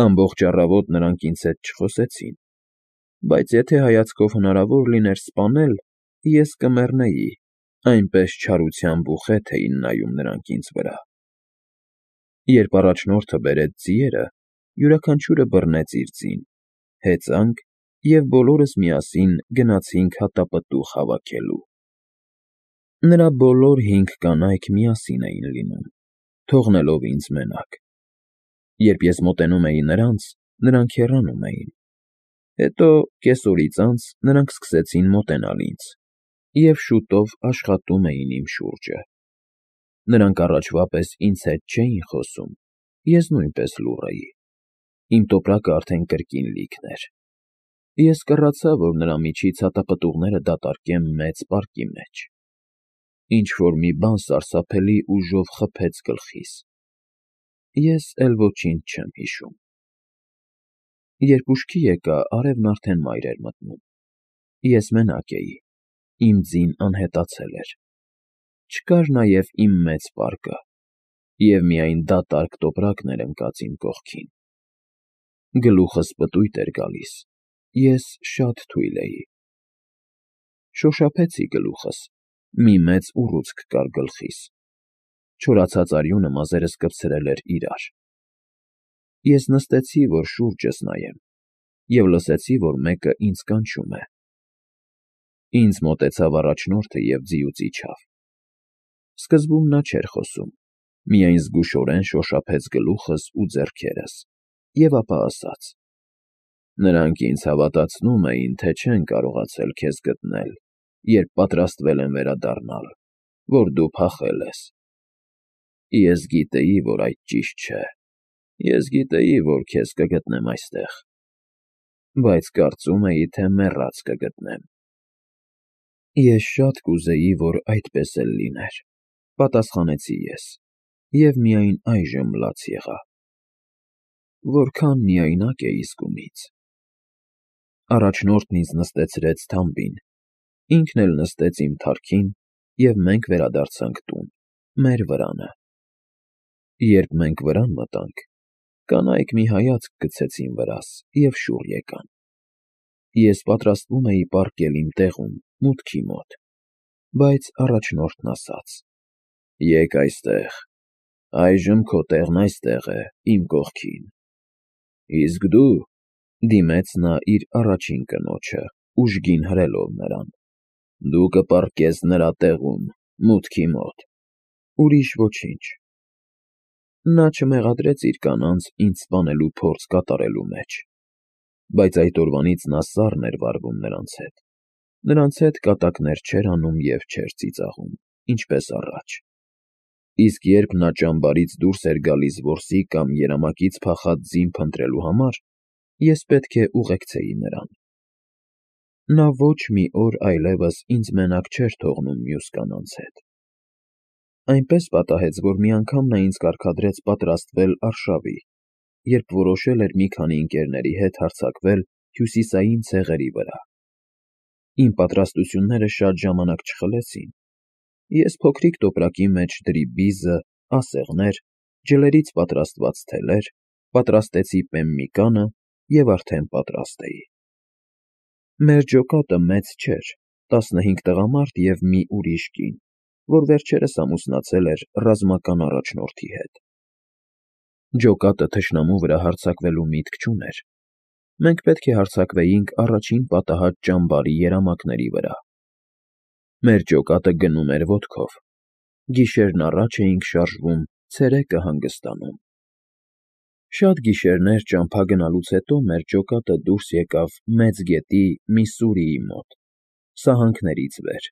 Ամբողջ առավոտ նրանք ինձ հետ չխոսեցին, բայց եթե հայացքով հնարավոր լիներ սպանել, ես կմեռնեի, այնպես չարությամբ ու խեթ էին նայում նրանք ինձ վրա։ Երբ առաջնորդը բերեց ձիերը, յուրաքանչյուրը բռնեց իր ձին, հեծանք և բոլորս միասին գնացինք հատապտուղ հավաքելու։ Նրա բոլոր 5 կանայք միասին էին լինում, թողնելով ինձ մենակ։ Երբ ես մոտենում էի նրանց, նրանք հեռանում էին։ Հետո կեսօրից անց նրանք սկսեցին մոտենալ ինձ և շուտով աշխատում էին իմ շուրջը։ Նրանք առաջվա պես ինձ հետ չէին խոսում, ես նույնպես լուռ էի։ Իմ տոպրակը արդեն կրկին լիքն էր։ Ես կռացա, որ նրա միջից հատապտուղները դատարկեմ մեծ պարկի մեջ։ Ինչ-որ մի բան սարսափելի ուժով խփեց գլխիս։ Ես էլ ոչինչ չեմ հիշում։ Երբ ուշքի եկա, արևն արդեն մայր էր մտնում։ Ես մենակ էի, իմ ձին անհետացել էր։ Չկար նաև իմ մեծ պարկը, և միայն դատարկ տոպրակն էր ընկած իմ կողքին։ Գլուխս պտույտ էր գալիս, ես շատ թույլ էի։ Շոշափեցի գլուխս, մի մեծ ուռուցք կար գլխիս։ Չորացած արյունը մազերս կպցրել էր իրար։ Ես նստեցի, որ շուրջս նայեմ, և լսեցի, որ մեկը ինձ կանչում է։ Ինձ մոտեցավ առաջնորդը և ձիուց իջավ։ Սկզբում նա չէր խոսում, միայն զգուշորեն շոշափեց գլուխս ու ձեռքերս և ապա ասաց. «Նրանք ինձ հավատացնում էին, թե չեն կարողացել քեզ գտնել, երբ պատրաստվել են վերադառնալ, որ դու փախել ես։ Ես գիտեի, որ այդ ճիշտ չէ, ես գիտեի, որ քեզ կգտնեմ այստեղ, բայց կարծում էի, թե մեռած կգտնեմ»։ Ես շատ կուզեի, որ այդպես էլ լիներ, պատասխանեցի ես, և միայն այժմ լաց եղա։ Որքան միայնակ էի զգում ինձ։ Առաջնորդն ինձ նստեցրեց թամբին, ինքն էլ նստեց իմ թարքին, և մենք վերադարձանք տուն, մեր վրանը։ Երբ մենք վրան մտանք, կանայք մի հայացք գցեցին վրաս և շուռ եկան։ Ես պատրաստվում էի պառկել իմ տեղում, մուտքի մոտ, բայց առաջնորդն ասաց. «Եկ այստեղ, այժմ քո տեղն այստեղ է, իմ կողքին»։ Իսկ դու, դիմեց նա իր առաջին կնոջը, ուժգին հրելով նրան, դու կպառկես նրա տեղում, մուտքի մոտ, ուրիշ ոչինչ։ Նա չմեղադրեց իր կանանց ինձ սպանելու փորձ կատարելու մեջ, բայց այդ օրվանից նա սառն էր վարվում նրանց հետ կատակներ չէր անում և չէր ծիծաղում, ինչպես առաջ։ Իսկ երբ նա ճամբարից դուրս էր գալիս որսի կամ երամակից փախած ձին փնտրելու համար, ես պետք է ուղեկցեի նրան։ Նա ոչ մի օր այլևս ինձ մենակ չէր թողնում մյուս կանանց հետ։ Այնպես պատահեց, որ մի անգամ նա ինձ կարգադրեց պատրաստվել արշավի, երբ որոշել էր մի քանի ընկերների հետ հարձակվել հյուսիսային ցեղերի վրա։ Իմ պատրաստությունները շատ ժամանակ չխլեցին։ Ես փոքրիկ տոպրակի մեջ դրի բիզը, ասեղներ, ջլերից պատրաստված թելեր, պատրաստեցի պեմմիկանը և արդեն պատրաստ էի։ Մեր ջոկատը մեծ չէր, 15 տղամարդ և մի ուրիշ կին, որ վերջերս ամուսնացել էր ռազմական առաջնորդի հետ։ Ջոկատը թշնամու վրա հարձակվելու միտք չուներ։ Մենք պետք է հարձակվեինք առաջին պատահած ճամբարի երամակների վրա։ Մեր ջոկատը գնում էր ոտքով։ Գիշերն առաջ էինք շարժվում, ցերեկը հանգստանում։ Շատ գիշերներ ճամփա գնալուց հետո մեր ջոկատը դուրս եկավ Մեծ գետի Միսսուրիի մոտ, սահանքներից վեր,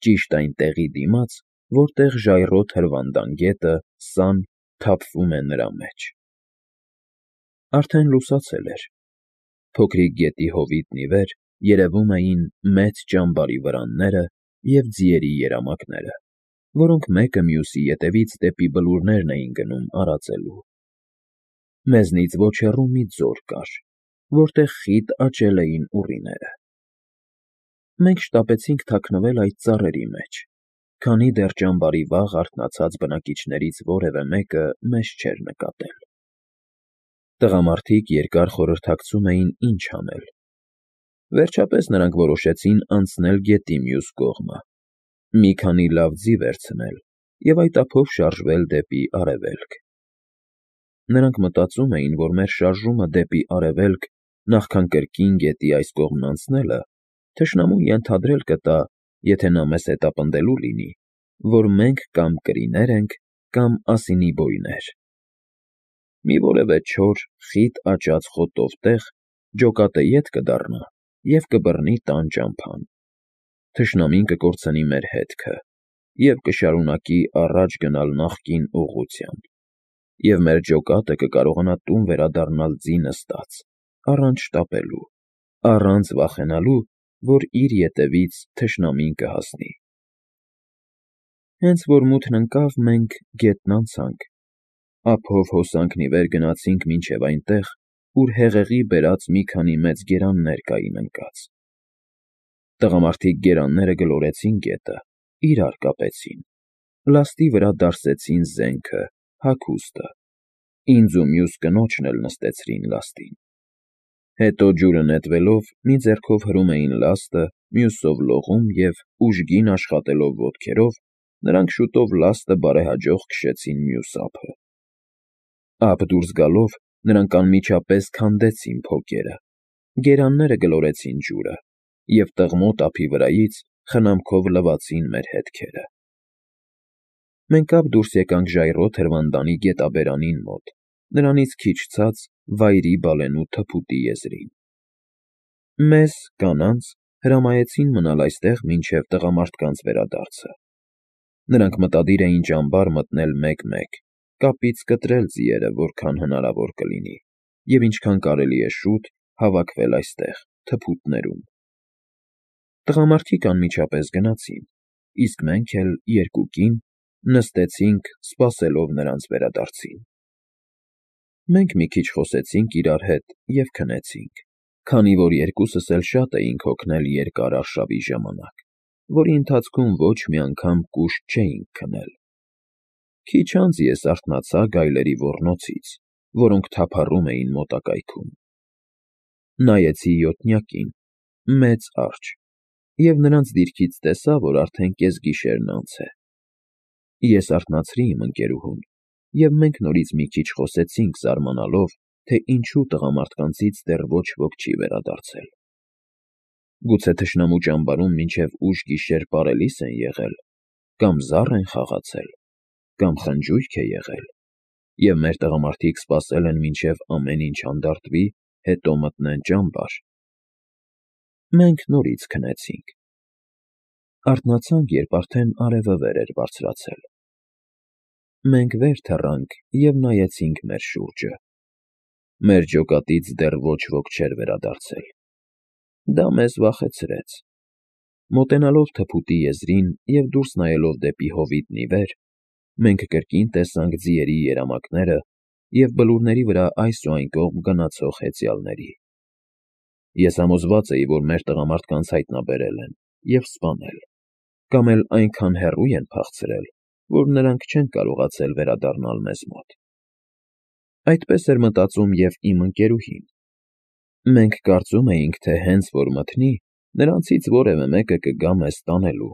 ճիշտ այն տեղի դիմաց, որտեղ ժայռոտ հրվանդան գետը, Սան, թափվում է նրա մեջ։ Արդեն լուսացել էր։ Փոքրիկ գետի հովիտն ի վեր երևում էին մեծ ճամբարի վրանները և ձիերի երամակները, որոնք մեկը մյուսի ետևից դեպի բլուրներն էին գնում արածելու։ Մեզնից ոչ հեռու մի ձոր կար, որտեղ խիտ աճել էին ուռիները։ Մենք շտապեցինք թաքնվել այդ ծառերի մեջ, քանի դեռ ճամբարի վաղ արթնացած բնակիչներից որևէ մեկը մեզ չէր նկատել։ Տղամարդիկ երկար խորհրդակցում էին ինչ անել։ Վերջապես նրանք որոշեցին անցնել գետի մյուս կողմը, մի քանի լավ ձի վերցնել և այդ ափով շարժվել դեպի արևելք։ Նրանք մտածում էին, որ մեր շարժումը դեպի արևելք, նախքան կրկին գետի այս կողմն անցնելը, թշնամուն ենթադրել կտա, եթե նա մեզ հետապնդելու լինի, որ մենք կամ կրիներ ենք, կամ ասինի բոյներ։ Մի որևէ չոր, խիտ աճած խոտով տեղ ջոկատը ետ կդառնա և կբռնի տան ճամփան։ Թշնամին կկորցնի մեր հետքը և կշարունակի առաջ գնալ նախկին ուղղությամբ, և մեր ջոկատը կկարողանա տուն վերադառնալ ձի նստած, առանց շտապելու, առանց վախենալու, որ իր ետևից թշնամին կհասնի։ Հենց որ մութն ընկավ, մենք գետն անցանք, ափով հոսանքն ի վեր գնացինք մինչև այնտեղ, ուր հեղեղի բերած մի քանի մեծ գերաններ կային ընկած։ Տղամարդիկ գերանները գլորեցին գետը, իրար կապեցին, լաստի վրա դարսեցին զենքը, հագուստը, ինձ ու մյուս կնոջն էլ նստեցրին լաստին։ Հետո ջուրը նետվելով մի ձեռքով հրում էին լաստը, մյուսով լողում և, ուժգին աշխատելով ոտքերով, նրանք շուտով լաստը բարեհաջող քշեցին մյուս ափը։ Ափ դուրս գալով նրանք անմիջապես քանդեցին փոկերը, գերանները գլորեցին ջուրը և տղմոտ ափի վրայից խնամքով լվացին մեր հետքերը։ Մենք ապ դուրս եկանք ժայռոտ հրվանդանի գետաբերանին մոտ, նրանից քիչ ցած վայրի բալենու թփուտի եզրին։ Մեզ, կանանց, հրամայեցին մնալ այստեղ մինչև տղամարդկանց վերադարձը։ Նրանք մտադիր էին ճամբար մտնել մեկ֊մեկ, կապից կտրել ձիերը, որքան հնարավոր կլինի, և ինչքան կարելի է շուտ հավաքվել այստեղ, թփուտներում։ Տղամարդիկ անմիջապես գնացին, իսկ մենք էլ երկուկին նստեցինք, սպասելով նրանց վերադարձին։ Մենք մի քիչ խոսեցինք իրար հետ և քնեցինք, քանի որ երկուսս էլ շատ էինք հոգնել երկար արշավի ժամանակ, որի ընթացքում ոչ մի անգամ կուշտ չէինք քնել։ Քիչ անց ես արթնացա գայլերի ոռնոցից, որոնք թափառում էին մոտակայքում։ Նայեցի յոթնյակին, մեծ արջը, և նրանց դիրքից տեսա, որ արդեն կեսգիշերն անց է։ Ես արթնացրի իմ ընկերուհուն, և մենք նորից մի քիչ խոսեցինք, զարմանալով, թե ինչու տղամարդկանցից դեռ ոչ ոք չի վերադարձել։ Գուցե թշնամու ճամբարում մինչև ուշ գիշեր պարելիս են եղել, կամ զառ են խաղացել, կամ խնջույք է եղել, և մեր տղամարդիկ սպասել են մինչև ամեն ինչ հանդարտվի, հետո մտնեն ճամբար։ Մենք նորից քնեցինք։ Արթնացանք, երբ արդեն արևը վեր էր բարձրացել։ Մենք վեր թռանք և նայեցինք մեր շուրջը։ Մեր ջոկատից դեռ ոչ ոք չէր վերադարձել։ Դա մեզ վախեցրեց։ Մոտենալով թփուտի եզրին և դուրս նայելով դեպի հովիտն ի վեր, մենք կրկին տեսանք ձիերի երամակները և բլուրների վրա այս ու այն կողմ գնացող հեծյալների։ Ես համոզված էի, որ մեր տղամարդկանց հայտնաբերել են և սպանել, կամ էլ այնքան հեռու են փախցրել, որ նրանք չեն կարողացել վերադառնալ մեզ մոտ։ Այդպես էր մտածում և իմ ընկերուհին։ Մենք կարծում էինք, թե հենց որ մթնի, նրանցից որևէ մեկը կգա մեզ տանելու։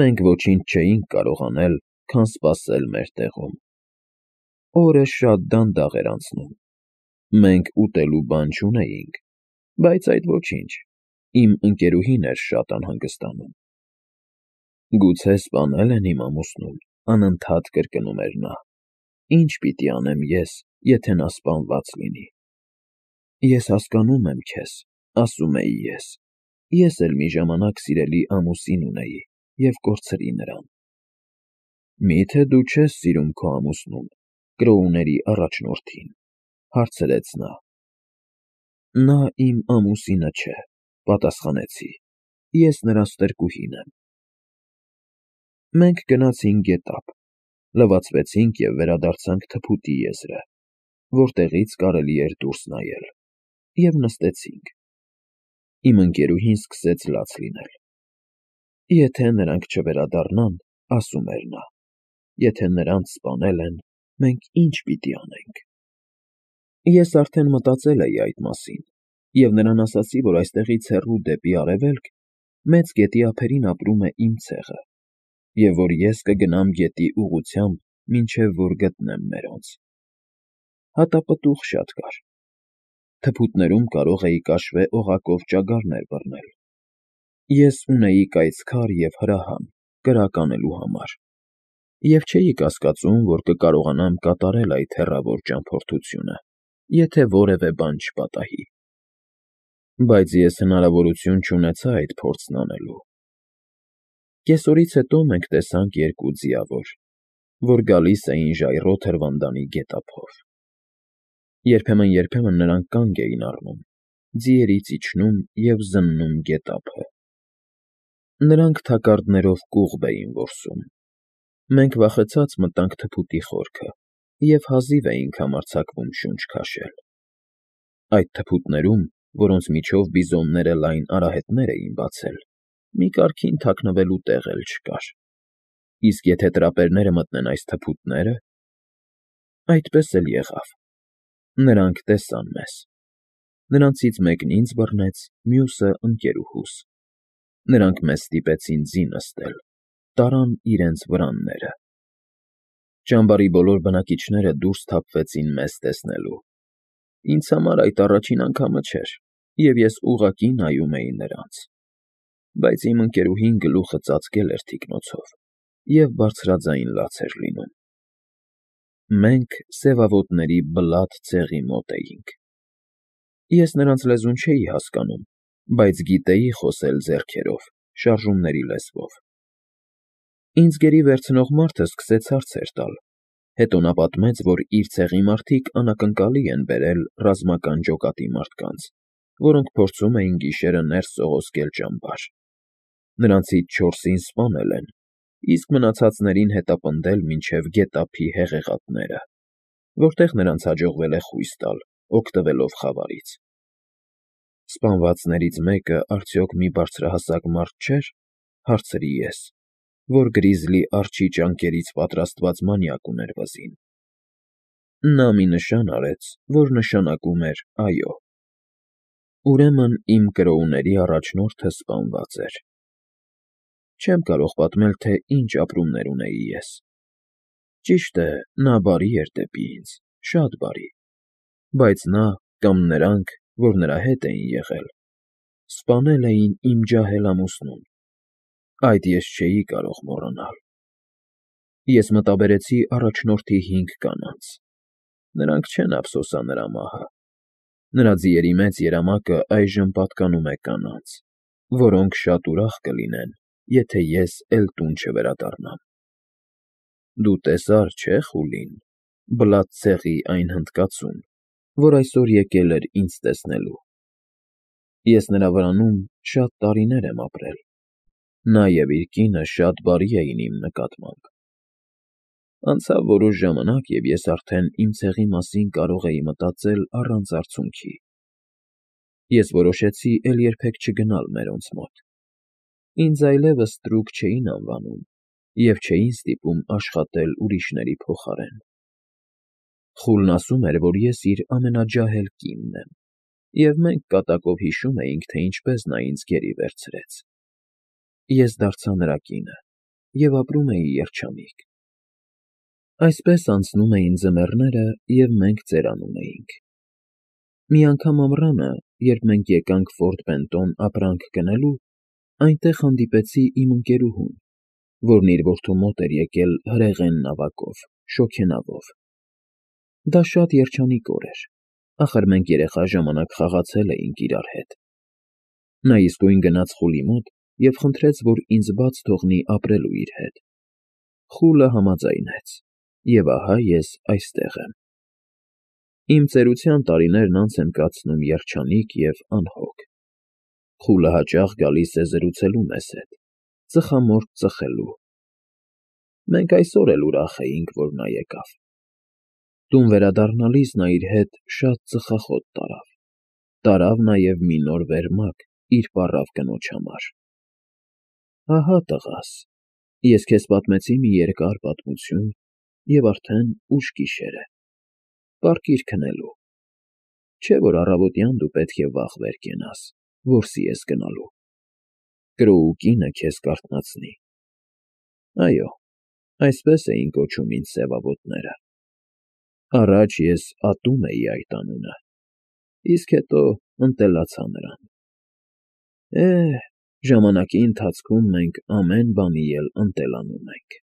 Մենք ոչինչ չէինք կարող անել, քան սպասել մեր տեղում։ Օրը շատ դանդաղ էր անցնում։ Մենք ուտելու բան չունեինք, բայց այդ ոչինչ, իմ ընկերուհին էր շատ անհանգստանում։ Գուցե սպանել են իմ ամուսնուն, անընդհատ կրկնում էր նա։ Ի՞նչ պիտի անեմ ես, եթե նա սպանված լինի։ Ես հասկանում եմ քեզ, ասում էի ես։ Ես էլ մի ժամանակ սիրելի ամուսին ունեի և կորցրի նրան։ Մի՞թե դու չես սիրում քո ամուսնուն, կրոուների առաջնորդին, հարցրեց նա։ Նա իմ ամուսինը չէ, պատասխանեցի, ես նրա ստրկուհին եմ։ Մենք գնացինք գետափ, լվացվեցինք և վերադարձանք թփուտի եզրը, որտեղից կարելի էր դուրս նայել, և նստեցինք։ Իմ ընկերուհին սկսեց լաց լինել։ Եթե նրանք չվերադառնան, ասում էր նա, եթե նրանց սպանել են, մենք ի՞նչ պիտի անենք։ Ես արդեն մտածել էի այդ մասին և նրան ասացի, որ այստեղից հեռու դեպի արևելք, մեծ գետի ափերին ապրում է իմ ցեղը, և որ ես կգնամ գետի ուղղությամբ, մինչև որ գտնեմ մերոնց։ Հատապտուղ շատ կար։ Թփուտներում կարող էի կաշվե օղակով ճագարներ բռնել։ Ես ունեի կայծքար և հրահան՝ կրակ անելու համար, և չէի կասկածում, որ կկարողանամ կատարել այդ հեռավոր ճամփորդությունը, եթե որևէ բան չպատահի։ Բայց ես հնարավորություն չունեցա այդ փորձն անելու։ Կեսօրից հետո մենք տեսանք երկու ձիավոր, որ գալիս էին ժայռոտ հրվանդանի գետափով։ Երբեմն նրանք կանգ էին առնում, ձիերից իջնում և զննում գետափը։ Նրանք թակարդներով կուղբ էին որսում։ Մենք վախեցած մտանք թփուտի խորքը և հազիվ էինք համարձակվում շունչ քաշել։ Այդ թփուտներում, որոնց միջով բիզոնները լայն արահետներ էին բացել, մի կարգին թաքնվելու տեղ էլ չկար։ Իսկ եթե տրապերները մտնեն այս թփուտնե՞րը… Այդպես էլ եղավ։ Նրանք տեսան մեզ։ Նրանցից մեկն ինձ բռնեց, մյուսը՝ ընկերուհուս։ Նրանք մեզ ստիպեցին ձի նստել, տարան իրենց վրանները։ Ճամբարի բոլոր բնակիչները դուրս թափվեցին մեզ տեսնելու։ Ինձ համար այդ առաջին անգամը չէր, և ես ուղղակի նայում էի նրանց։ Բայց իմ ընկերուհին գլուխը ծածկել էր թիկնոցով և բարձրաձայն լաց էր լինում։ Մենք սևավոտների Բլաթ ցեղի մոտ էինք։ Ես նրանց լեզուն չէի հասկանում, բայց գիտեի խոսել ձեռքերով, շարժումների լեզվով։ Ինձ գերի վերցնող մարդը սկսեց հարցեր տալ, հետո նա պատմեց, որ իր ցեղի մարդիկ անակնկալի են բերել ռազմական ջոկատի մարդկանց, որոնք փորձում էին գիշերը ներս սողոսկել ճամբար։ Նրանցից 4-ին սպանել են, իսկ մնացածներին հետապնդել մինչև գետափի հեղեղատները, որտեղ նրանց հաջողվել է խույս տալ՝ օգտվելով խավարից։ Սպանվածներից մեկը արդյոք մի բարձրահասակ մարդ չէ՞ր, հարցրի ես, որ գրիզլի արջի ճանկերից պատրաստված մանյակ ուներ վզին։ Նա մի նշան արեց, որ նշանակում էր «այո»։ Ուրեմն իմ կրոուների առաջնորդը սպանված էր։ Չեմ կարող պատմել, թե ինչ ապրումներ ունեի ես։ Ճիշտ է, նա բարի էր դեպի ինձ, շատ բարի, բայց նա կամ նրանք, որ նրա հետ էին եղել, սպանել էին իմ ջահել ամուսնուն։ Այդ ես չէի կարող մոռանալ։ Ես մտաբերեցի առաջնորդի 5 կանանց։ Նրանք չեն ափսոսա նրա մահը։ Նրա ձիերի մեծ երամակը այժմ պատկանում է կանանց, որոնք շատ ուրախ կլինեն, եթե ես էլ տուն չվերադառնամ։ Դու տեսա՞ր, չէ՞, Խուլին, Բլաթ ցեղի այն հնդկացուն, որ այսօր եկել էր ինձ տեսնելու։ Ես նրա վրանում շատ տարիներ եմ ապրել։ Նա և իր կինը շատ բարի էին իմ նկատմամբ։ Անցավ որոշ ժամանակ, և ես արդեն իմ ցեղի մասին կարող էի մտածել առանց արցունքի։ Ես որոշեցի էլ երբեք չգնալ մերոնց մոտ։ Ինձ այլևս ստրուկ չէին անվանում և չէին ստիպում աշխատել ուրիշների փոխարեն։ Խուլն ասում էր, որ ես իր ամենաջահել կինն եմ, և մենք կատակով հիշում էինք, թե ինչպես նա ինձ գերի վերցրեց։ Ես դարձա նրա կինը և ապրում էի երջանիկ։ Այսպես անցնում էին ձմեռները, և մենք ծերանում էինք։ Մի անգամ ամռանը, երբ մենք եկանք Ֆորտ Բենտոն ապրանք գնելու, այնտեղ հանդիպեցի իմ ընկերուհուն, որն իր որդու մոտ էր եկել հրեղեն նավակով, շոգենավով։ Դա շատ երջանիկ օր էր, ախր մենք երեխա ժամանակ խաղացել էինք իրար հետ։ Նա իսկույն գնաց Խուլի մոտ և խնդրեց, որ ինձ բաց թողնի ապրելու իր հետ։ Խուլը համաձայնեց, և ահա ես այստեղ եմ։ Իմ ծերության տարիներն անց եմ կացնում երջանիկ և անհոգ։ Խուլը հաճախ գալիս է զրուցելու մեզ հետ, ծխամորճ ծխելու։ Մենք այսօր էլ ուրախ էինք, որ նա եկավ։ Տուն վերադառնալիս նա իր հետ շատ ծխախոտ տարավ։ Տարավ նաև մի նոր վերմակ իր պառավ կնոջ համար։ Ահա տղաս, ես քեզ պատմեցի մի երկար պատմություն, և արդեն ուշ գիշեր է։ Պառկիր քնելու։ Չէ՞ որ առավոտյան դու պետք է վաղ վեր կենաս, որսի ես գնալու, Կրոու կինը քեզ կարթնացնի։ Այո, այսպես էին կոչում ինձ սևավոտները. առաջ ես ատում էի այդ անունը, իսկ հետո ընտելացա նրան։ Ժամանակի ընթացքում մենք ամեն բանի էլ ընտելանում ենք։